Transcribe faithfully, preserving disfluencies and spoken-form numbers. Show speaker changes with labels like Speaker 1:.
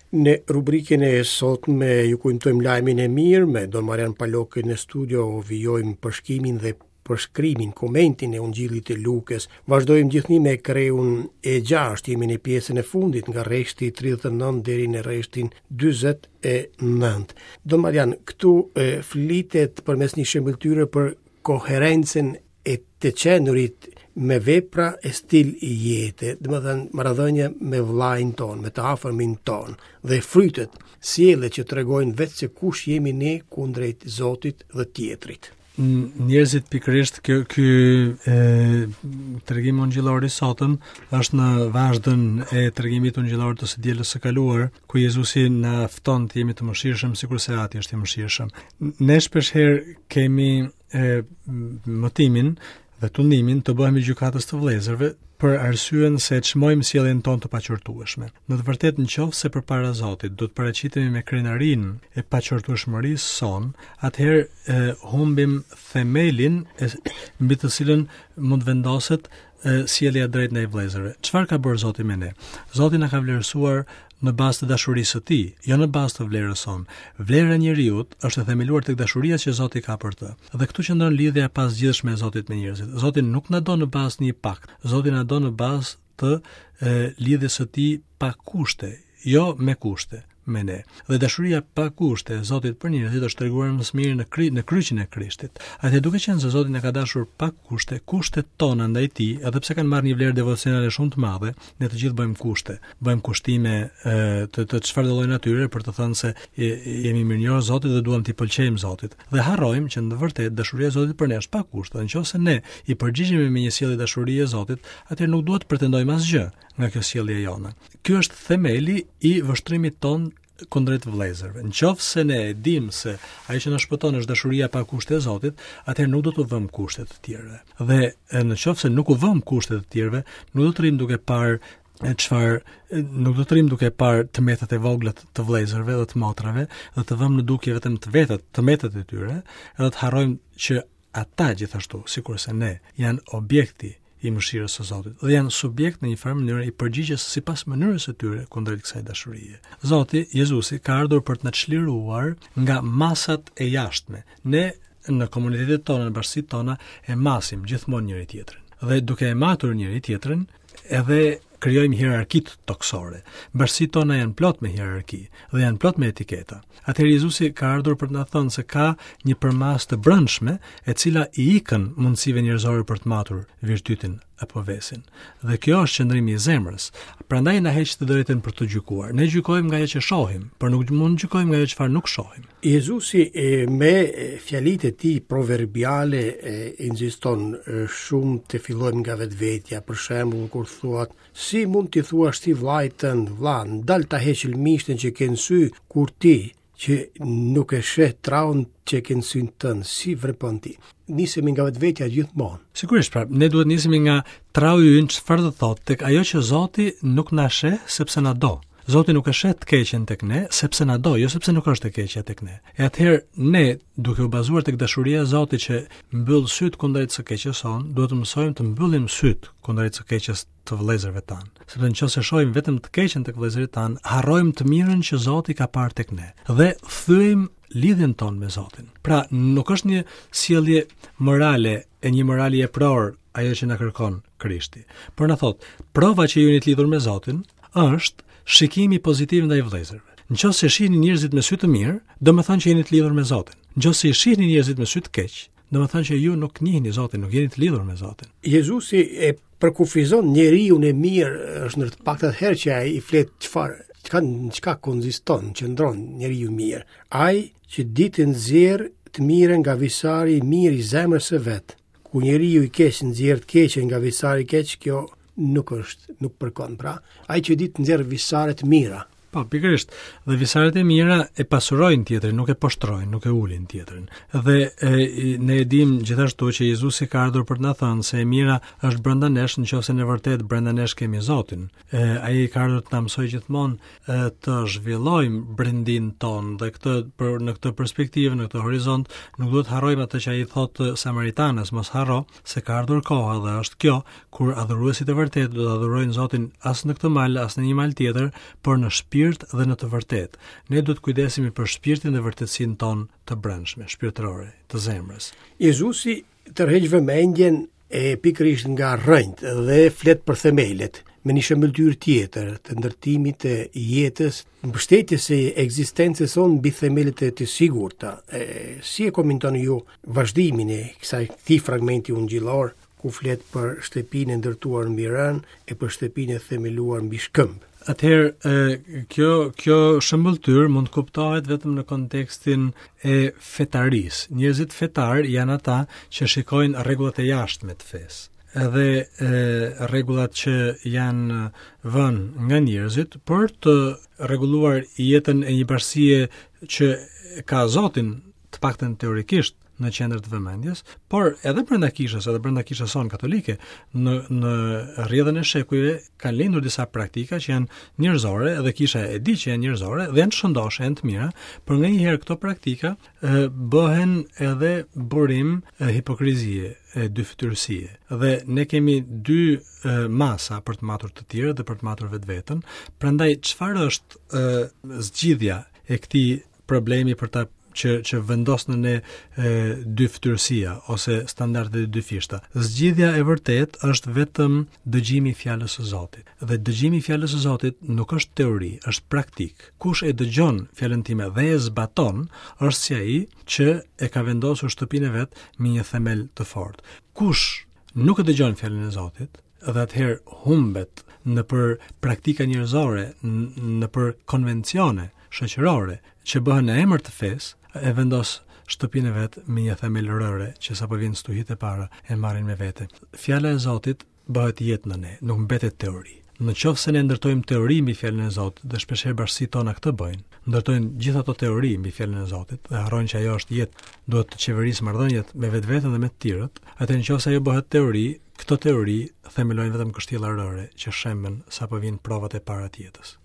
Speaker 1: Në rubrikën e sotme ju kujtojmë lajmin e mirë me Don Marian Palokën në studio, vijojmë përshkimin dhe përshkrimin, komentin e Ungjillit të Lukës. Vazhdojmë gjithnjë me kreun e gjashtë, jemi në pjesën e fundit nga rreshti tridhjetë e nëntë deri në rreshtin dyzet e nëntë. Don Marian, këtu e, flitet përmes një shëmbëlltyre për koherencën e të qenurit me vepra e stil i jete, domethënë marrëdhënie me vllajin ton, me të afërmin ton, dhe frytet, sjelljet që tregojnë vetë se kush jemi ne kundrejt Zotit dhe tjetrit.
Speaker 2: Njerëzit pikërisht kjo ky e tregim ungjillor i sotëm është në vazhdën e tregimit ungjillor të së dielës së kaluar, ku Jezusi na fton të jemi të mëshirshëm sikurse Ati është i mëshirshëm. Ne shpesh herë kemi e, mëtimin dhe tundimin të bëhemi gjykatës të vëllezërve për arsyen se çmojmë sjelljen tonë të paqortueshme. Në të vërtetë, nëse se përpara Zotit do të paraqitemi me krenarinë e paqortueshmërisë sonë, atëherë e, humbim themelin e, mbi të cilën mund vendoset e, sjellja drejt ndaj vëllezërve. Çfarë ka bërë Zoti me ne? Zoti na ka vlerësuar në bazë të dashurisë së tij, jo në bazë të vlerës sonë. Vlera e njeriut është e themeluar tek dashuria që Zoti ka për të. Dhe këtu qëndron lidhja e pazgjidhshme e Zotit me njerëzit. Zoti nuk na do në bazë të një pakt. Zoti na do në bazë të e, lidhjes së tij pa kushte, jo me kushte me ne. Dhe dashuria pa kushte e Zotit për njerëzit është treguar më së miri në kri, në kryqin e Krishtit. Atëherë, duke qenë se Zoti na ka dashur pa kushte, kushtet tona ndaj tij, edhe pse kanë marrë një vlerë devocionale shumë të madhe, ne të gjithë bëjmë kushte, bëjmë kushtime e, të të çfarë lloj natyre për të thënë se jemi mirënjohës Zotit dhe duam t'i pëlqejmë Zotit. Dhe harrojmë që në të vërtetë dashuria e Zotit për ne është pa kushte. Dhe nëse ne i përgjigjemi me një sjellje dashurie Zotit, atëherë nuk duhet të pretendojmë asgjë nga kjo sjellje jona. Ky është themeli i vështrimit ton kundrejt vëllezërve. Në qoftë se ne e dim se ajo që na shpëton është dashuria pa kushte e Zotit, atëherë nuk do t'u vëmë kushte të tjerëve. Dhe në qoftë se nuk u vëmë kushte të tjerëve, nuk do të rrim duke parë çfarë nuk do të rrim duke parë të metat e vogla të vëllezërve dhe të motrave dhe të vëmë në dukje vetëm të vetat, të metat e tyre, edhe të harrojmë që ata gjithashtu, sikurse ne, janë objekti i mëshirës së Zotit dhe janë subjekt në një farë mënyrë i përgjigjes sipas mënyrës së tyre kundrejt kësaj dashurie. Zoti Jezusi ka ardhur për të na çliruar nga masat e jashtme. Ne në komunitetet tona, në bashkësitë tona e masim gjithmonë njëri tjetrin. Dhe duke e matur njëri tjetrin, edhe krijojmë hierarkitë toksore. Bashkësitë tona janë plot me hierarki dhe janë plot me etiketa. Atëherë Jezusi ka ardhur për të na thënë se ka një përmasë të brendshme e cila i ikën mundësive njerëzore për të matur virtytin apo vesin. Dhe kjo është qëndrimi i zemrës. Prandaj na heq të drejtën për të gjykuar. Ne gjykojmë nga ajo që shohim, por nuk mund të gjykojmë nga ajo çfarë nuk shohim.
Speaker 1: Jezusi e, me fjalitë e tij proverbiale e, insiston shumë të fillojmë nga vetvetja. Për shembull, kur thuat, si mund t'i thuash ti vllait tënd, vlla, ndal ta heq lëmishtën që ke në sy, kur ti që nuk e sheh traun që ke në synë tënd, si vrepon ti? Nisemi nga vetvetja gjithmonë.
Speaker 2: Sigurisht, pra, ne duhet nisemi nga trau ynë, çfarë do thotë, tek ajo që Zoti nuk na sheh sepse na do. Zoti nuk e sheh të keqen tek ne sepse na do, jo sepse nuk është e keqja tek ne. E atëherë ne, duke u bazuar tek dashuria e Zotit që mbyll syt kundrejt së keqes sonë, duhet të mësojmë të mbyllim syt kundrejt së keqes të vëllezërve tanë. Sepse nëse shohim vetëm të keqen tek vëllezërit tanë, harrojmë të mirën që Zoti ka parë tek ne dhe thyejmë lidhjen tonë me Zotin. Pra, nuk është një sjellje morale e një morali epror ajo që na kërkon Krishti. Por na thotë, prova që ju jeni të lidhur me Zotin është shikimi pozitiv ndaj vëllezërve. Nëse shihni njerëzit me sy të mirë, do të thonë që jeni të lidhur me Zotin. Nëse shihni njerëzit me sy të keq, do të thonë që ju nuk njihni Zotin, nuk jeni të lidhur me Zotin.
Speaker 1: Jezusi e përkufizon njeriun e mirë, është në të paktat herë që ai i flet çfarë, çka çka konsiston, qëndron njeriu i mirë. Ai që di të nxjerr të mirën nga visari i mirë i zemrës së vet. Ku njeriu i keq nxjerr të keqen nga visari i keq, kjo nuk është, nuk përkon. Pra, ai që di të nxjerr visare të mira.
Speaker 2: Po, pikërisht. Dhe visaret e mira e pasurojnë tjetrin, nuk e poshtrojnë, nuk e ulin tjetrin. Dhe e, ne e dim gjithashtu që Jezusi ka ardhur për të na thënë se e mira është brenda nesh, nëse në vërtet brenda nesh kemi Zotin. E, ai ka ardhur të na mësojë gjithmonë e, të zhvillojmë brendinë tonë dhe këtë për në këtë perspektivë, në këtë horizont, nuk duhet harrojmë atë që ai thotë Samaritanës, mos harro se ka ardhur koha dhe është kjo kur adhuruesit e vërtetë do të adhurojnë Zotin as në këtë mal, as në një mal tjetër, por në shpirt shpirt dhe në të vërtetë. Ne duhet kujdesemi për shpirtin dhe vërtetësinë tonë të brendshme, shpirtërore, të zemrës.
Speaker 1: Jezusi tërheq vëmendjen e pikërisht nga rrënjët dhe flet për themelet me një shëmbëlltyrë tjetër të ndërtimit të jetës, mbështetjes së ekzistencës sonë mbi themelet e të sigurta. E, si e komentoni ju vazhdimin e kësaj këtij fragmenti ungjillor ku flet për shtëpinë e ndërtuar mbi rënë e për shtëpinë e themeluar mbi shkëmb?
Speaker 2: Atëherë, kjo kjo shëmbëlltyrë mund të kuptohet vetëm në kontekstin e fetarisë. Njerëzit fetar janë ata që shikojnë rregullat e jashtme të fesë, edhe e, rregullat që janë vënë nga njerëzit për të rregulluar jetën e një bashkësie që ka Zotin, të paktën teorikisht, në qendër të vëmendjes, por edhe brenda kishës, edhe brenda kishës sonë katolike, në në rrjedhën e shekujve kanë lindur disa praktika që janë njerëzore, edhe kisha e di që janë njerëzore dhe janë të shëndosha, janë të mira, por nganjëherë këto praktika e, bëhen edhe burim e, hipokrizie, e dyfytyrësie. Dhe ne kemi dy e, masa për të matur të tjerët dhe për të matur vetveten. Prandaj çfarë është e, zgjidhja e këtij problemi për ta që që vendos në ne e, dyfytyrësia ose standardet e dyfishta? Zgjidhja e vërtet është vetëm dëgjimi i fjalës së Zotit. Dhe dëgjimi i fjalës së Zotit nuk është teori, është praktik. Kush e dëgjon fjalën time dhe e zbaton, është si ai që e ka vendosur shtëpinë e vet me një themel të fortë. Kush nuk e dëgjon fjalën e Zotit, dhe atëherë humbet në për praktika njerëzore, në për konvencione shoqërore që bëhen në emër të fesë, e vendos shtëpinë e vet me një themel rëre që sapo vjen stuhit e para e marrin me vete. Fjala e Zotit bëhet jetë në ne, nuk mbetet teori. Në qoftë se ne ndërtojmë teori mbi fjalën e Zotit, dhe shpeshherë bashkësitë tona këtë bëjnë, ndërtojnë gjithë ato teori mbi fjalën e Zotit dhe harrojnë që ajo është jetë, duhet të qeverisë marrëdhëniet me vetveten dhe me të tjerët, atëherë në qoftë se ajo bëhet teori, këto teori themelojnë vetëm kështjella rëre që shemben sapo vijnë provat e para të jetës.